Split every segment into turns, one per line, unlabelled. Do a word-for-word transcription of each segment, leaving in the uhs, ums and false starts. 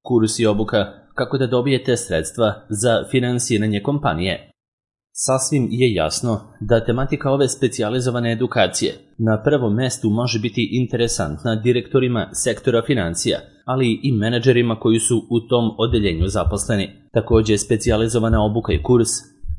Kurs i obuka kako da dobijete sredstva za finansiranje kompanije. Sasvim je jasno da tematika ove specijalizovane edukacije na prvom mestu može biti interesantna direktorima sektora financija, ali i menadžerima koji su u tom odeljenju zaposleni. Također, specijalizovana obuka i kurs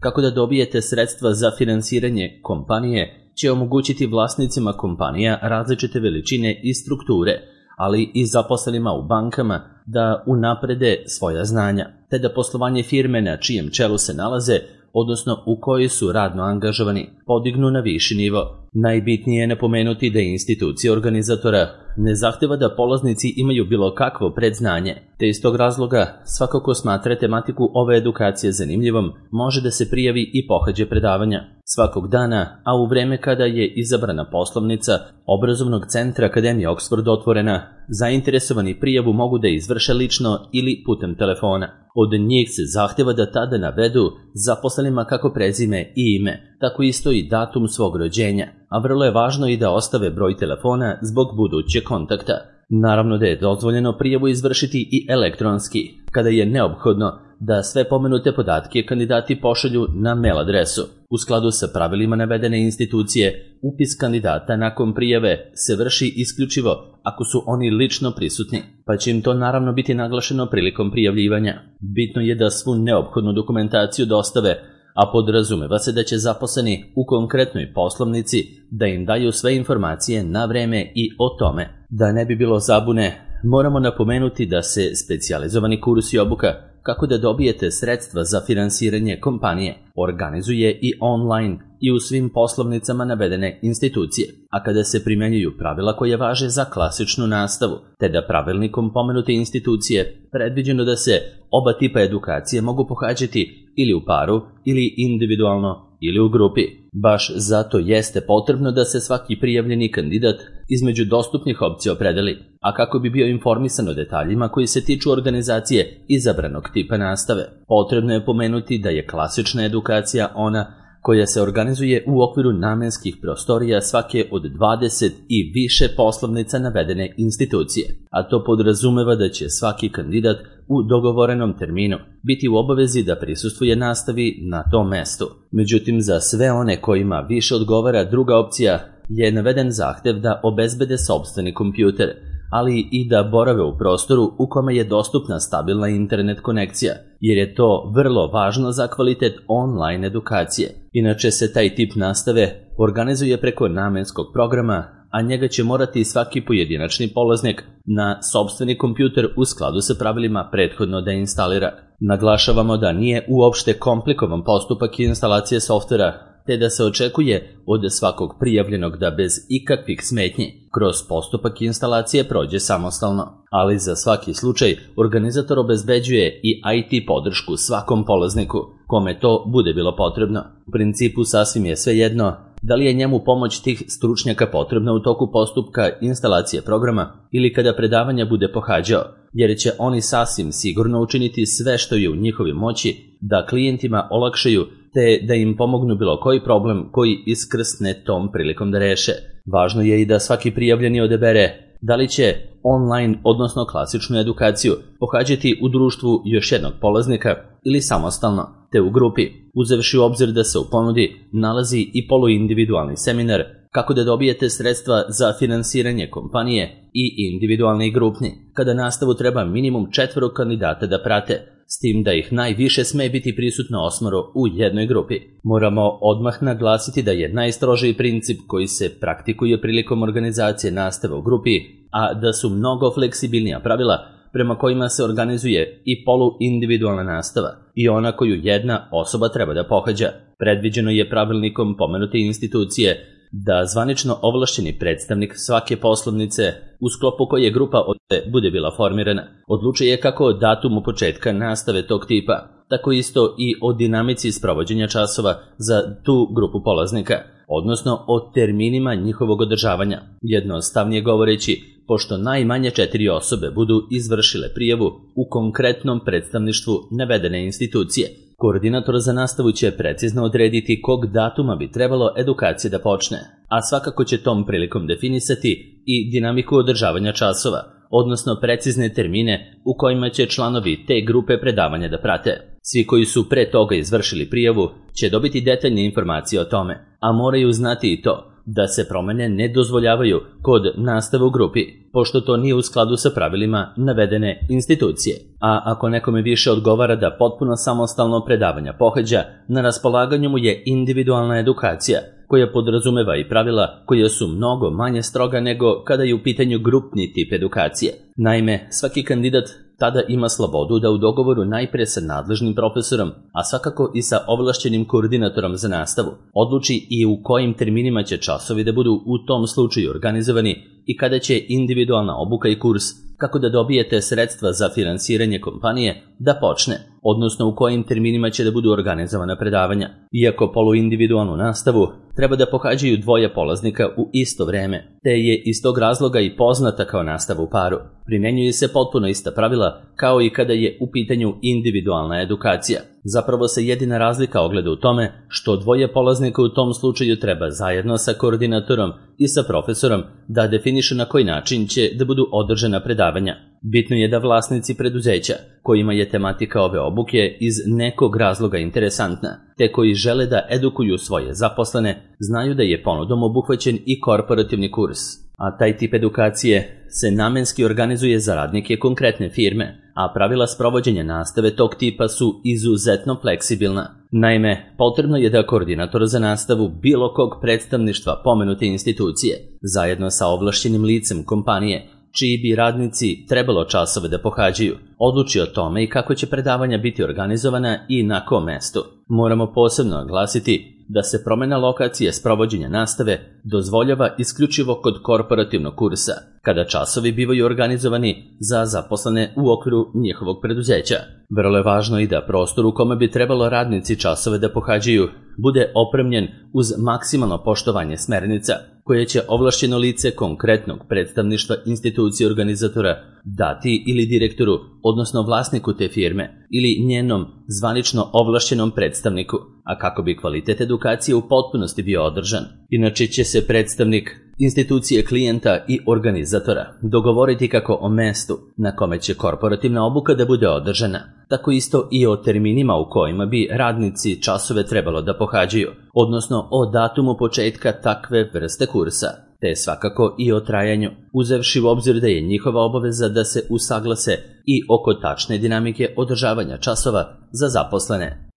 kako da dobijete sredstva za finansiranje kompanije će omogućiti vlasnicima kompanija različite veličine i strukture, ali i zaposlenima u bankama da unaprede svoja znanja, te da poslovanje firme na čijem čelu se nalaze, odnosno u kojoj su radno angažovani, podignu na viši nivo. Najbitnije je napomenuti da institucija organizatora ne zahteva da polaznici imaju bilo kakvo predznanje, te iz tog razloga svako ko smatra tematiku ove edukacije zanimljivom može da se prijavi i pohađe predavanja svakog dana, a u vreme kada je izabrana poslovnica obrazovnog centra Akademije Oxford otvorena, zainteresovani prijavu mogu da izvrše lično ili putem telefona. Od njih se zahteva da tada navedu zaposlenima kako prezime i ime, tako isto i datum svog rođenja, a vrlo je važno i da ostave broj telefona zbog budućeg kontakta. Naravno da je dozvoljeno prijavu izvršiti i elektronski, kada je neophodno da sve pomenute podatke kandidati pošalju na mail adresu. U skladu sa pravilima navedene institucije, upis kandidata nakon prijave se vrši isključivo ako su oni lično prisutni, pa će im to naravno biti naglašeno prilikom prijavljivanja. Bitno je da svu neophodnu dokumentaciju dostave, a podrazumeva se da će zaposleni u konkretnoj poslovnici da im daju sve informacije na vreme i o tome. Da ne bi bilo zabune, moramo napomenuti da se specijalizovani kurs i obuka kako da dobijete sredstva za finansiranje kompanije organizuje i online i u svim poslovnicama navedene institucije, a kada se primenjuju pravila koje važe za klasičnu nastavu, te da pravilnikom pomenute institucije predviđeno da se oba tipa edukacije mogu pohađati ili u paru ili individualno ili u grupi. Baš zato jeste potrebno da se svaki prijavljeni kandidat između dostupnih opcija opredeli, a kako bi bio informisan o detaljima koji se tiču organizacije izabranog tipa nastave. Potrebno je pomenuti da je klasična edukacija ona koja se organizuje u okviru namenskih prostorija svake od dvadeset i više poslovnica navedene institucije, a to podrazumeva da će svaki kandidat u dogovorenom terminu biti u obavezi da prisustvuje nastavi na tom mestu. Međutim, za sve one kojima više odgovara druga opcija je naveden zahtev da obezbede sopstveni kompjuter, ali i da borave u prostoru u kome je dostupna stabilna internet konekcija, jer je to vrlo važno za kvalitet online edukacije. Inače se taj tip nastave organizuje preko namenskog programa, a njega će morati svaki pojedinačni polaznik na sopstveni kompjuter u skladu sa pravilima prethodno da instalira. Naglašavamo da nije uopšte komplikovan postupak instalacije softvera, te da se očekuje od svakog prijavljenog da bez ikakvih smetnji kroz postupak instalacije prođe samostalno. Ali za svaki slučaj organizator obezbeđuje i I T podršku svakom polazniku kome to bude bilo potrebno. U principu sasvim je svejedno da li je njemu pomoć tih stručnjaka potrebna u toku postupka instalacije programa ili kada predavanja bude pohađao, jer će oni sasvim sigurno učiniti sve što je u njihovoj moći da klijentima olakšaju te da im pomognu bilo koji problem koji iskrsne tom prilikom da reše. Važno je i da svaki prijavljeni odabere da li će online, odnosno klasičnu edukaciju, pohađati u društvu još jednog polaznika ili samostalno, te u grupi, uzevši u obzir da se u ponudi nalazi i poluindividualni seminar kako da dobijete sredstva za finansiranje kompanije i individualni i grupni, kada nastavu treba minimum četvoro kandidata da prate, s tim da ih najviše sme biti prisutno osmoro u jednoj grupi. Moramo odmah naglasiti da je najstrožiji princip koji se praktikuje prilikom organizacije nastave u grupi, a da su mnogo fleksibilnija pravila prema kojima se organizuje i poluindividualna nastava i ona koju jedna osoba treba da pohađa. Predviđeno je pravilnikom pomenute institucije da zvanično ovlašćeni predstavnik svake poslovnice u sklopu koje grupa bude bila formirana odlučuje kako o datumu početka nastave tog tipa, tako isto i o dinamici sprovođenja časova za tu grupu polaznika, odnosno o terminima njihovog održavanja. Jednostavnije govoreći, pošto najmanje četiri osobe budu izvršile prijavu u konkretnom predstavništvu navedene institucije, koordinator za nastavu će precizno odrediti kog datuma bi trebalo edukacija da počne, a svakako će tom prilikom definisati i dinamiku održavanja časova, odnosno precizne termine u kojima će članovi te grupe predavanja da prate. Svi koji su pre toga izvršili prijavu će dobiti detaljne informacije o tome, a moraju znati i to da se promene ne dozvoljavaju kod nastave u grupi, pošto to nije u skladu sa pravilima navedene institucije. A ako nekome više odgovara da potpuno samostalno predavanja pohađa, na raspolaganju mu je individualna edukacija, koja podrazumeva i pravila koja su mnogo manje stroga nego kada je u pitanju grupni tip edukacije. Naime, svaki kandidat tada ima slobodu da u dogovoru najpre sa nadležnim profesorom, a svakako i sa ovlašćenim koordinatorom za nastavu, odluči i u kojim terminima će časovi da budu u tom slučaju organizovani i kada će individualna obuka i kurs kako da dobijete sredstva za finansiranje kompanije da počne, odnosno u kojim terminima će da budu organizovana predavanja. Iako poluindividualnu nastavu treba da pohađaju dvoje polaznika u isto vreme, te je iz tog razloga i poznata kao nastava u paru. Primenjuju se potpuno ista pravila kao i kada je u pitanju individualna edukacija. Zapravo se jedina razlika ogleda u tome što dvoje polaznika u tom slučaju treba zajedno sa koordinatorom i sa profesorom da definišu na koji način će da budu održana predavanja. Bitno je da vlasnici preduzeća, kojima je tematika ove obuke iz nekog razloga interesantna, te koji žele da edukuju svoje zaposlene, znaju da je ponudom obuhvaćen i korporativni kurs. A taj tip edukacije se namenski organizuje za radnike konkretne firme, a pravila sprovođenja nastave tog tipa su izuzetno fleksibilna. Naime, potrebno je da koordinator za nastavu bilo kog predstavništva pomenute institucije, zajedno sa ovlašćenim licem kompanije, čiji bi radnici trebalo časove da pohađaju, odluči o tome i kako će predavanja biti organizovana i na kom mestu. Moramo posebno naglasiti da se promena lokacije sprovođenja nastave dozvoljava isključivo kod korporativnog kursa, kada časovi bivaju organizovani za zaposlene u okviru njihovog preduzeća. Vrlo je važno i da prostor u kome bi trebalo radnici časove da pohađaju bude opremljen uz maksimalno poštovanje smernica, koje će ovlašćeno lice konkretnog predstavništva institucije organizatora dati ili direktoru, odnosno vlasniku te firme, ili njenom zvanično ovlašćenom predstavniku, a kako bi kvalitet edukacije u potpunosti bio održan. Inače će se predstavnik institucije klijenta i organizatora dogovoriti kako o mestu na kome će korporativna obuka da bude održana, tako isto i o terminima u kojima bi radnici časove trebalo da pohađaju, odnosno o datumu početka takve vrste kursa, te svakako i o trajanju, uzevši u obzir da je njihova obaveza da se usaglase i oko tačne dinamike održavanja časova za zaposlene.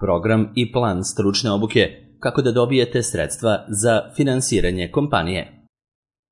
Program i plan stručne obuke kako da dobijete sredstva za finansiranje kompanije.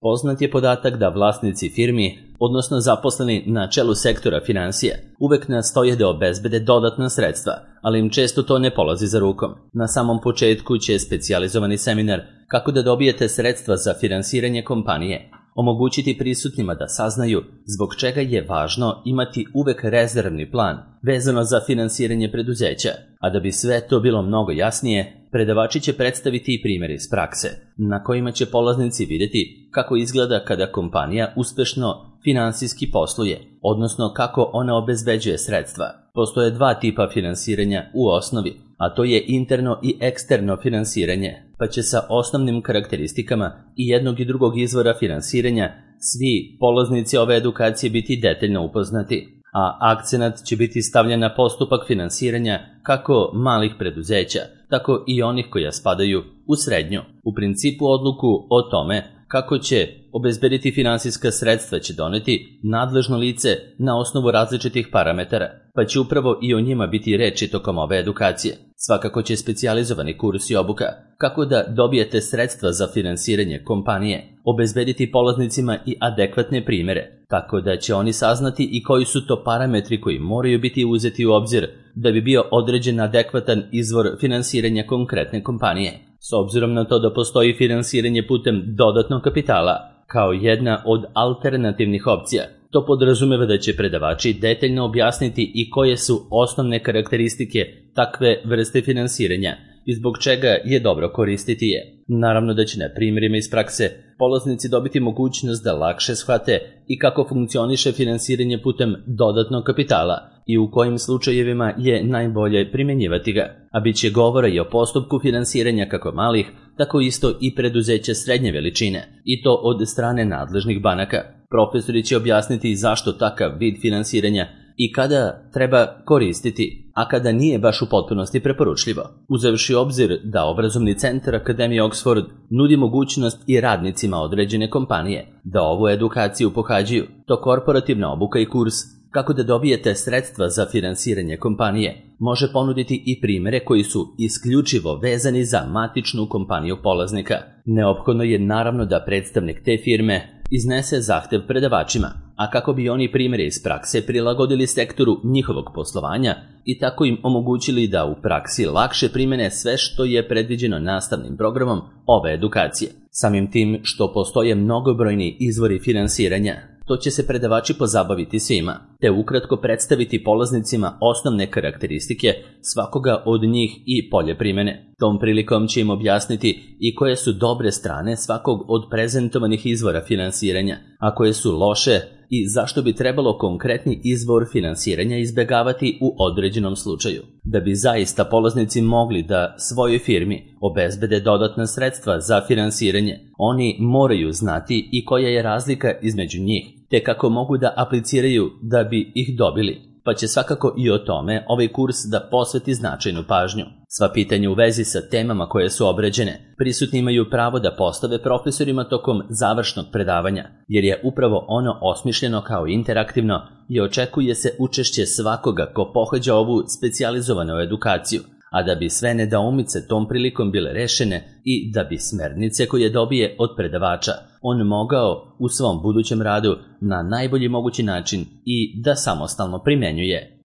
Poznat je podatak da vlasnici firmi, odnosno zaposleni na čelu sektora finansije, uvek nastoje da obezbede dodatna sredstva, ali im često to ne polazi za rukom. Na samom početku će specijalizovani seminar kako da dobijete sredstva za finansiranje kompanije omogućiti prisutnima da saznaju zbog čega je važno imati uvek rezervni plan vezano za finansiranje preduzeća, a da bi sve to bilo mnogo jasnije, predavači će predstaviti i primjer iz prakse, na kojima će polaznici vidjeti kako izgleda kada kompanija uspešno finansijski posluje, odnosno kako ona obezbeđuje sredstva. Postoje dva tipa finansiranja u osnovi, a to je interno i eksterno finansiranje, pa će sa osnovnim karakteristikama i jednog i drugog izvora finansiranja svi polaznici ove edukacije biti detaljno upoznati, a akcenat će biti stavljen na postupak finansiranja kako malih preduzeća, tako i onih koja spadaju u srednju. U principu odluku o tome kako će obezbediti finansijska sredstva će doneti nadležno lice na osnovu različitih parametara, pa će upravo i o njima biti reči tokom ove edukacije. Svakako će specijalizovani kurs i obuka kako da dobijete sredstva za finansiranje kompanije obezbediti polaznicima i adekvatne primere, tako da će oni saznati i koji su to parametri koji moraju biti uzeti u obzir da bi bio određen adekvatan izvor finansiranja konkretne kompanije. S obzirom na to da postoji finansiranje putem dodatnog kapitala kao jedna od alternativnih opcija, to podrazumeva da će predavači detaljno objasniti i koje su osnovne karakteristike takve vrste finansiranja i zbog čega je dobro koristiti je. Naravno da će na primjerima iz prakse polaznici dobiti mogućnost da lakše shvate i kako funkcioniše finansiranje putem dodatnog kapitala i u kojim slučajevima je najbolje primjenjivati ga, a bit će govora i o postupku finansiranja kako malih, tako isto i preduzeća srednje veličine, i to od strane nadležnih banaka. Profesori će objasniti zašto takav vid finansiranja i kada treba koristiti, a kada nije baš u potpunosti preporučljivo. Uzevši obzir da obrazovni centar Akademije Oxford nudi mogućnost i radnicima određene kompanije da ovu edukaciju pohađaju, to korporativna obuka i kurs kako da dobijete sredstva za finansiranje kompanije može ponuditi i primere koji su isključivo vezani za matičnu kompaniju polaznika. Neophodno je naravno da predstavnik te firme iznese zahtev predavačima, a kako bi oni primjere iz prakse prilagodili sektoru njihovog poslovanja i tako im omogućili da u praksi lakše primene sve što je predviđeno nastavnim programom ove edukacije. Samim tim što postoje mnogobrojni izvori finansiranja, to će se predavači pozabaviti svima, te ukratko predstaviti polaznicima osnovne karakteristike svakoga od njih i polje primene. Tom prilikom će im objasniti i koje su dobre strane svakog od prezentovanih izvora finansiranja, a koje su loše i zašto bi trebalo konkretni izvor finansiranja izbegavati u određenom slučaju. Da bi zaista polaznici mogli da svojoj firmi obezbede dodatna sredstva za finansiranje, oni moraju znati i koja je razlika između njih, te kako mogu da apliciraju da bi ih dobili, pa će svakako i o tome ovaj kurs da posveti značajnu pažnju. Sva pitanja u vezi sa temama koje su obrađene, prisutni imaju pravo da postave profesorima tokom završnog predavanja, jer je upravo ono osmišljeno kao interaktivno i očekuje se učešće svakoga ko pohađa ovu specijalizovanu edukaciju, a da bi sve nedoumice tom prilikom bile rešene i da bi smernice koje dobije od predavača on mogao u svom budućem radu na najbolji mogući način i da samostalno primenjuje.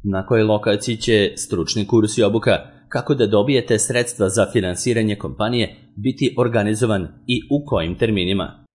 Na kojoj lokaciji će stručni kurs i obuka kako da dobijete sredstva za finansiranje kompanije biti organizovan i u kojim terminima?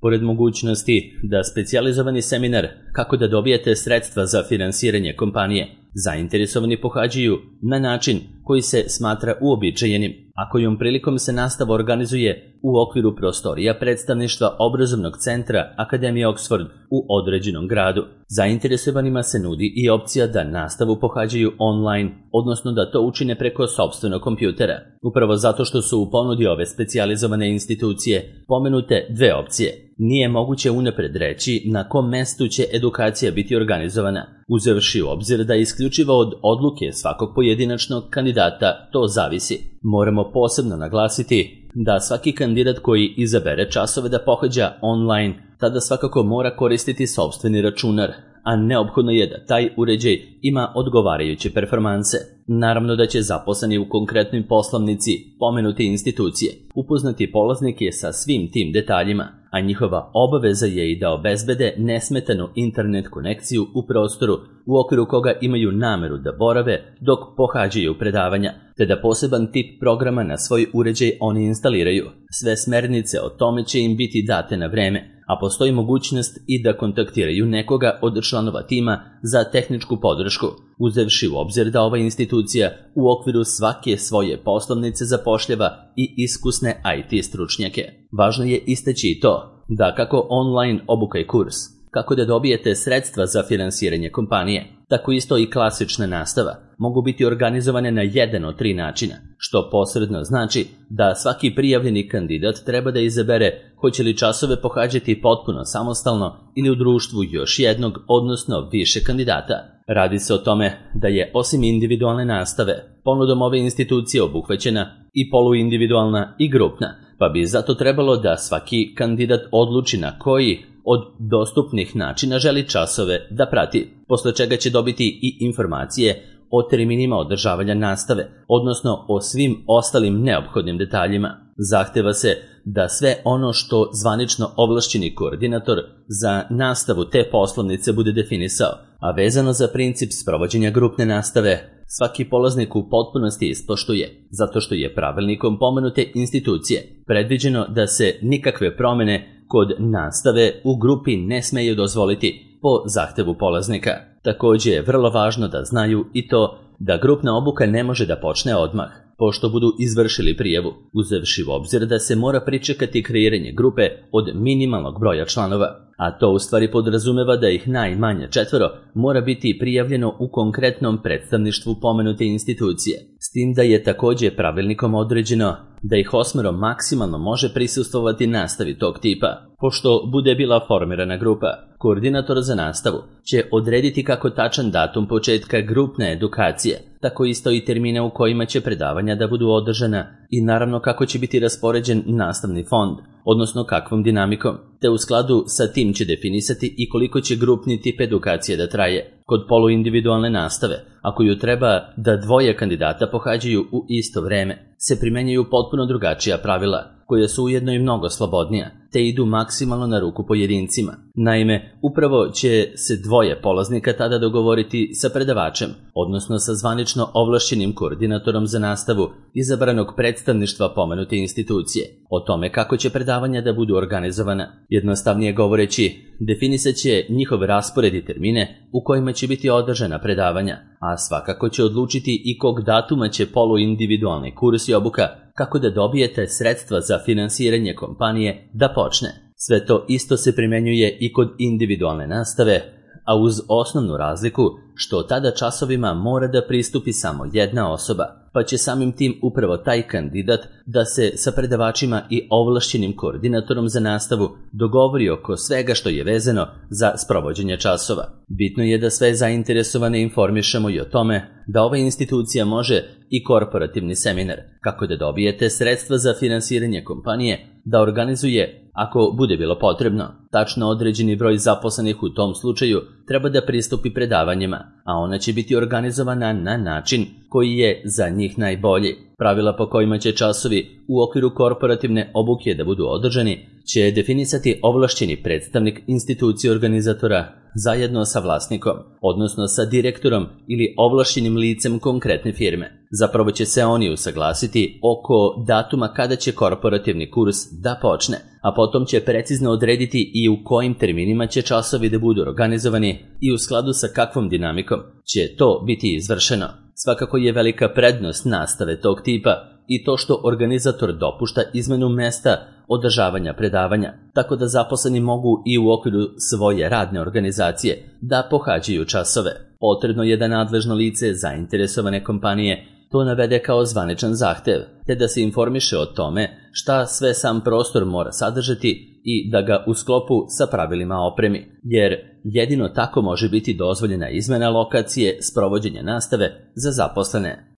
Pored mogućnosti da specijalizovani seminar kako da dobijete sredstva za finansiranje kompanije zainteresovani pohađaju na način koji se smatra uobičajenim, a kojom prilikom se nastava organizuje u okviru prostorija predstavništva obrazovnog centra Akademije Oxford u određenom gradu. Zainteresovanima se nudi i opcija da nastavu pohađaju online, odnosno da to učine preko sopstvenog kompjutera. Upravo zato što su u ponudi ove specijalizovane institucije pomenute dve opcije, nije moguće unapred reći na kom mestu će edukacija biti organizovana, uzevši u obzir da isključivo od odluke svakog pojedinačnog kandidata to zavisi. Moramo posebno naglasiti da svaki kandidat koji izabere časove da pohađa online, tada svakako mora koristiti sopstveni računar, a neophodno je da taj uređaj ima odgovarajuće performanse. Naravno da će zaposleni u konkretnoj poslovnici pomenute institucije upoznati polaznike sa svim tim detaljima, a njihova obaveza je i da obezbede nesmetanu internet konekciju u prostoru u okviru koga imaju nameru da borave dok pohađaju predavanja, te da poseban tip programa na svoj uređaj oni instaliraju. Sve smernice o tome će im biti date na vreme, a postoji mogućnost i da kontaktiraju nekoga od članova tima za tehničku podršku, uzevši u obzir da ova institucija u okviru svake svoje poslovnice zapošljava i iskusne I T stručnjake. Važno je istaći i to da kako online obuka i kurs, kako da dobijete sredstva za finansiranje kompanije, tako isto i klasična nastava mogu biti organizovane na jedan od tri načina, što posredno znači da svaki prijavljeni kandidat treba da izabere hoće li časove pohađati potpuno samostalno ili u društvu još jednog, odnosno više kandidata. Radi se o tome da je osim individualne nastave, ponudom ove institucije obuhvaćena i poluindividualna i grupna, pa bi zato trebalo da svaki kandidat odluči na koji od dostupnih načina želi časove da prati, posle čega će dobiti i informacije o terminima održavanja nastave, odnosno o svim ostalim neophodnim detaljima. Zahteva se da sve ono što zvanično ovlašćeni koordinator za nastavu te poslovnice bude definisao, a vezano za princip sprovođenja grupne nastave, svaki polaznik u potpunosti ispoštuje, zato što je pravilnikom pomenute institucije predviđeno da se nikakve promene kod nastave u grupi ne smeju dozvoliti po zahtevu polaznika. Također je vrlo važno da znaju i to da grupna obuka ne može da počne odmah, pošto budu izvršili prijavu, uzevši u obzir da se mora pričekati kreiranje grupe od minimalnog broja članova, a to u stvari podrazumeva da ih najmanje četvoro mora biti prijavljeno u konkretnom predstavništvu pomenute institucije, s tim da je takođe pravilnikom određeno da ih osmero maksimalno može prisustvovati nastavi tog tipa. Pošto bude bila formirana grupa, koordinator za nastavu će odrediti kako tačan datum početka grupne edukacije, tako isto i termine u kojima će predavanja da budu održana i naravno kako će biti raspoređen nastavni fond, odnosno kakvom dinamikom, te u skladu sa tim će definisati i koliko će grupni tip edukacije da traje. Kod poluindividualne nastave, ako ju treba da dvoje kandidata pohađaju u isto vreme, se primenjaju potpuno drugačija pravila, koja su ujedno i mnogo slobodnija, te idu maksimalno na ruku pojedincima. Naime, upravo će se dvoje polaznika tada dogovoriti sa predavačem, odnosno sa zvanično ovlašćenim koordinatorom za nastavu izabranog predstavništva pomenute institucije, o tome kako će predavanja da budu organizovana. Jednostavnije govoreći, definisat će njihov raspored i termine u kojima će biti održana predavanja, a svakako će odlučiti i kog datuma će poluindividualni kurs i obuka kako da dobijete sredstva za finansiranje kompanije da počne. Sve to isto se primenjuje i kod individualne nastave, a uz osnovnu razliku što tada časovima mora da pristupi samo jedna osoba, pa će samim tim upravo taj kandidat da se sa predavačima i ovlašćenim koordinatorom za nastavu dogovori oko svega što je vezano za sprovođenje časova. Bitno je da sve zainteresovane informišemo i o tome da ova institucija može i korporativni seminar, kako da dobijete sredstva za finansiranje kompanije, da organizuje, ako bude bilo potrebno, tačno određeni broj zaposlenih u tom slučaju treba da pristupi predavanjima, a ona će biti organizovana na način koji je za njih najbolji. Pravila po kojima će časovi u okviru korporativne obuke da budu održani će definisati ovlašćeni predstavnik institucije organizatora zajedno sa vlasnikom, odnosno sa direktorom ili ovlašćenim licem konkretne firme. Zapravo će se oni usaglasiti oko datuma kada će korporativni kurs da počne, a potom će precizno odrediti i u kojim terminima će časovi da budu organizovani i u skladu sa kakvom dinamikom će to biti izvršeno. Svakako je velika prednost nastave tog tipa i to što organizator dopušta izmenu mesta održavanja predavanja, tako da zaposleni mogu i u okviru svoje radne organizacije da pohađaju časove. Potrebno je da nadležno lice zainteresovane kompanije to navede kao zvaničan zahtev, te da se informiše o tome šta sve sam prostor mora sadržati i da ga u sklopu sa pravilima opremi, jer jedino tako može biti dozvoljena izmena lokacije sprovođenja nastave za zaposlene.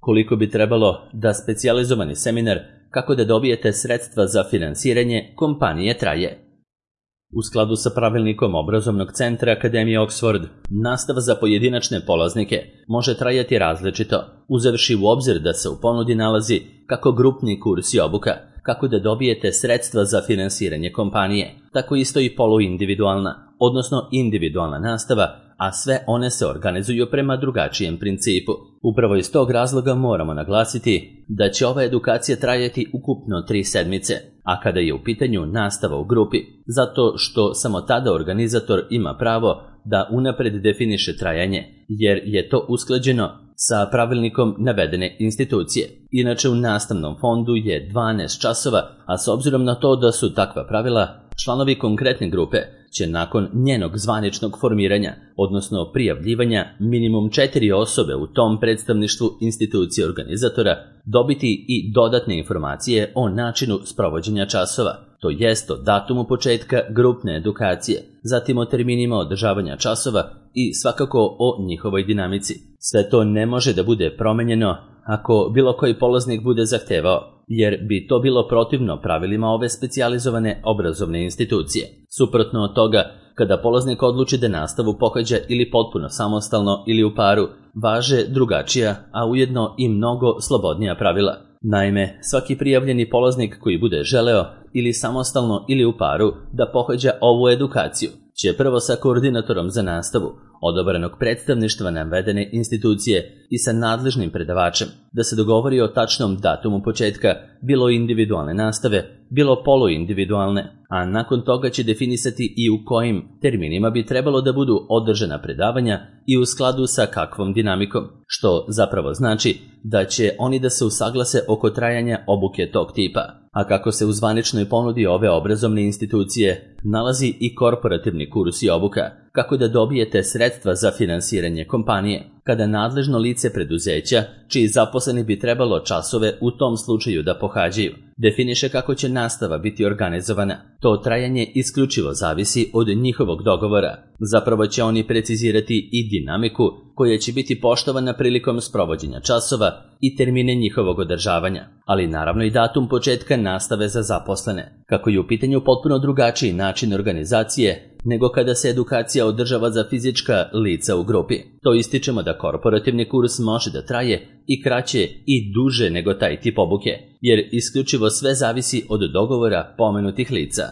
Koliko bi trebalo da specijalizovani seminar kako da dobijete sredstva za finansiranje kompanije traje? U skladu sa pravilnikom obrazovnog centra Akademije Oxford, nastava za pojedinačne polaznike može trajati različito, uzevši u obzir da se u ponudi nalazi kako grupni kurs i obuka, kako da dobijete sredstva za finansiranje kompanije, tako isto i poluindividualna, odnosno individualna nastava, a sve one se organizuju prema drugačijem principu. Upravo iz tog razloga moramo naglasiti da će ova edukacija trajati ukupno tri sedmice, a kada je u pitanju nastava u grupi, zato što samo tada organizator ima pravo da unapred definiše trajanje, jer je to usklađeno sa pravilnikom navedene institucije. Inače u nastavnom fondu je dvanaest časova, a s obzirom na to da su takva pravila, članovi konkretne grupe će nakon njenog zvaničnog formiranja, odnosno prijavljivanja minimum četiri osobe u tom predstavništvu institucije organizatora, dobiti i dodatne informacije o načinu sprovođenja časova, to jest o datumu početka grupne edukacije, zatim o terminima održavanja časova i svakako o njihovoj dinamici. Sve to ne može da bude promenjeno ako bilo koji polaznik bude zahtevao, jer bi to bilo protivno pravilima ove specijalizovane obrazovne institucije. Suprotno od toga, kada polaznik odluči da nastavu pohađa ili potpuno samostalno ili u paru, važe drugačija, a ujedno i mnogo slobodnija pravila. Naime, svaki prijavljeni polaznik koji bude želeo ili samostalno ili u paru da pohađa ovu edukaciju će prvo sa koordinatorom za nastavu odabranog predstavništva navedene institucije i sa nadležnim predavačem da se dogovori o tačnom datumu početka bilo individualne nastave, bilo poluindividualne, a nakon toga će definisati i u kojim terminima bi trebalo da budu održana predavanja i u skladu sa kakvom dinamikom, što zapravo znači da će oni da se usaglase oko trajanja obuke tog tipa. A kako se u zvaničnoj ponudi ove obrazovne institucije nalazi i korporativni kurs i obuka, kako da dobijete sredstva za finansiranje kompanije, kada nadležno lice preduzeća, čiji zaposleni bi trebalo časove u tom slučaju da pohađaju, definiše kako će nastava biti organizovana. To trajanje isključivo zavisi od njihovog dogovora. Zapravo će oni precizirati i dinamiku koja će biti poštovana prilikom sprovođenja časova i termine njihovog održavanja, ali naravno i datum početka nastave za zaposlene, kako je u pitanju potpuno drugačiji način organizacije nego kada se edukacija održava za fizička lica u grupi. To ističemo da korporativni kurs može da traje i kraće i duže nego taj tip obuke, jer isključivo sve zavisi od dogovora pomenutih lica.